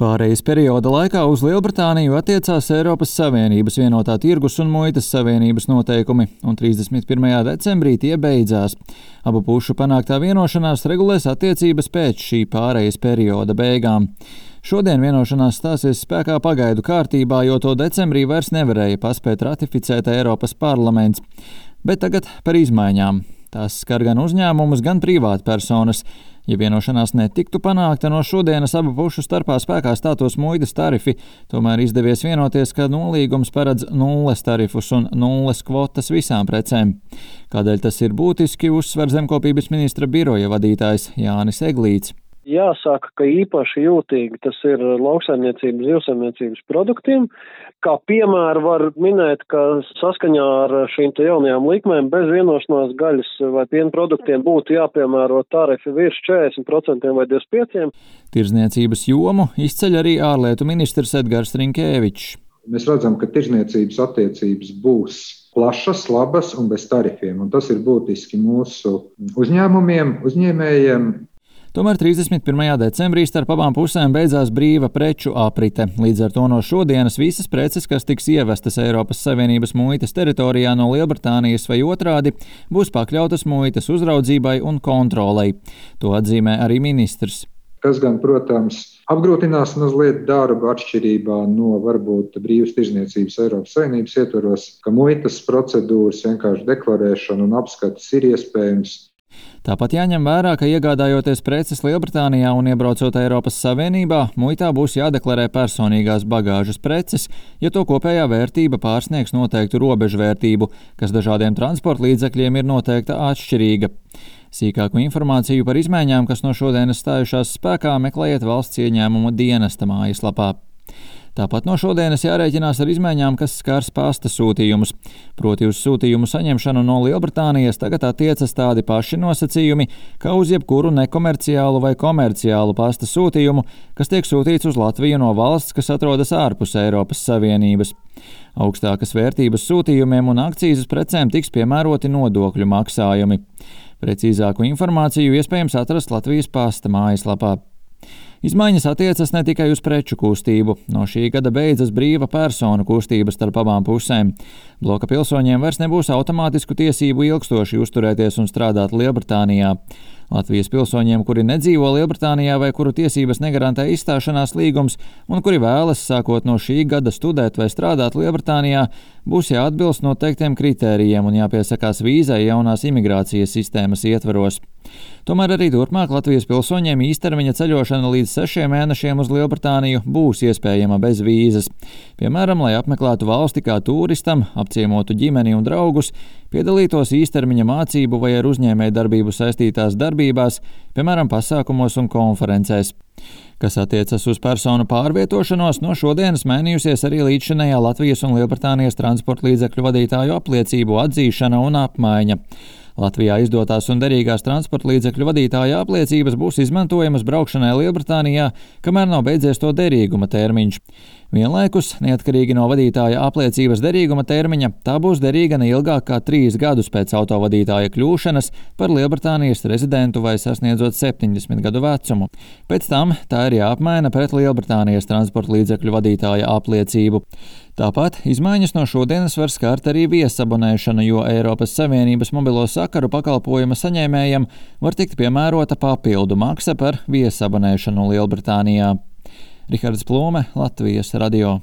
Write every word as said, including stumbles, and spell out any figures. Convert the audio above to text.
Pārejas perioda laikā uz Lielbritāniju attiecās Eiropas Savienības vienotā tirgus un muitas savienības noteikumi, un trīsdesmit pirmajā decembrī tie beidzās. Abu pušu panāktā vienošanās regulēs attiecības pēc šī pārejas perioda beigām. Šodien vienošanās stāsies spēkā pagaidu kārtībā, jo to decembrī vairs nevarēja paspēt ratificēt Eiropas parlaments. Bet tagad par izmaiņām. Tās skar gan uzņēmumus, gan privātpersonas. Ja vienošanās netiktu panākta, no šodienas abu pušu starpā spēkā stātos muitas tarifi, tomēr izdevies vienoties, ka nolīgums paredz nulles tarifus un nulles kvotas visām precēm. Kādēļ tas ir būtiski, uzsver Zemkopības ministra biroja vadītājs Jānis Eglīts. Jāsaka, ka īpaši jūtīgi tas ir lauksaimniecības, zivsaimniecības produktiem. Kā piemēru var minēt, ka saskaņā ar šīm te jaunajām likmēm bez vienošanās gaļas vai piena produktiem būtu jāpiemēro tarifi virs četrdesmit procenti vai divdesmit pieci procenti. Tirzniecības jomu izceļ arī ārlietu ministrs Edgars Rinkēvičs. Mēs redzam, ka tirzniecības attiecības būs plašas, labas un bez tarifiem, un tas ir būtiski mūsu uzņēmumiem, uzņēmējiem. Tomēr trīsdesmit pirmajā decembrī starp abām pusēm beidzās brīva preču aprite. Līdz ar to no šodienas visas preces, kas tiks ievestas Eiropas Savienības muitas teritorijā no Lielbritānijas vai otrādi, būs pakļautas muitas uzraudzībai un kontrolei. To atzīmē arī ministrs. Kas gan, protams, apgrūtinās mazliet darbu atšķirībā no varbūt brīvas tirzniecības Eiropas Savienības ietvaros, ka muitas procedūras, vienkārši deklarēšana un apskates ir iespējams. Tāpat jāņem vērā, ka iegādājoties preces Lielbritānijā un iebraucot Eiropas Savienībā, muitā būs jādeklarē personīgās bagāžas preces, ja to kopējā vērtība pārsniegs noteiktu robežvērtību, kas dažādiem transporta līdzekļiem ir noteikta atšķirīga. Sīkāku informāciju par izmaiņām, kas no šodienas stājušās spēkā, meklējiet valsts ieņēmumu dienesta mājaslapā. Tāpat no šodienas jārēķinās ar izmaiņām, kas skars pasta sūtījumus. Proti uz sūtījumu saņemšanu no Lielbritānijas tagad attiecas tādi paši nosacījumi, kā uz jebkuru nekomerciālu vai komerciālu pasta sūtījumu, kas tiek sūtīts uz Latviju no valsts, kas atrodas ārpus Eiropas Savienības. Augstākas vērtības sūtījumiem un akcīzes precēm tiks piemēroti nodokļu maksājumi. Precīzāku informāciju iespējams atrast Latvijas pasta mājaslapā. Izmaiņas attiecas ne tikai uz preču kustību. No šī gada beidzas brīva personu kustība starp abām pusēm. Bloka pilsoņiem vairs nebūs automātisku tiesību ilgstoši uzturēties un strādāt Lielbritānijā. Latvijas pilsoņiem, kuri nedzīvo Lielbritānijā vai kuru tiesības negarantē izstāšanās līgums un kuri vēlas sākot no šī gada studēt vai strādāt Lielbritānijā, būs jāatbilst noteiktiem kritērijiem un jāpiesakās vīzai jaunās imigrācijas sistēmas ietvaros. Tomēr arī turpmāk Latvijas pilsoņiem īstermiņa ceļošana līdz sešiem mēnešiem uz Lielbritāniju būs iespējama bez vīzas. Piemēram, lai apmeklētu valsti kā turistam, apciemotu ģimeni un draugus, piedalītos īstermiņa mācību vai ar uzņēmējdarbību saistītās darbībās, piemēram, pasākumos un konferencēs. Kas attiecas uz personu pārvietošanos, no šodienas mainījusies arī līdzšinējā Latvijas un Lielbritānijas transporta līdzekļu vadītāju apliecību atzīšana un apmaiņa. Latvijā izdotās un derīgās transporta līdzekļu vadītāja apliecības būs izmantojamas braukšanai Lielbritānijā, kamēr nav beidzies to derīguma termiņš. Vienlaikus, neatkarīgi no vadītāja apliecības derīguma termiņa, tā būs derīga ne ilgāk kā trīs gadus pēc autovadītāja kļūšanas par Lielbritānijas rezidentu vai sasniedzot septiņdesmit gadu vecumu. Pēc tam tā ir jāapmaina pret Lielbritānijas transporta līdzekļu vadītāja apliecību. Tāpat izmaiņas no šodienas var skart arī viesabonēšanu, jo Eiropas Savienības mobilo sakaru pakalpojuma saņēmējam var tikt piemērota papildu maksa par viesabonēšanu Lielbritānijā. Rihards Plūme, Latvijas radio.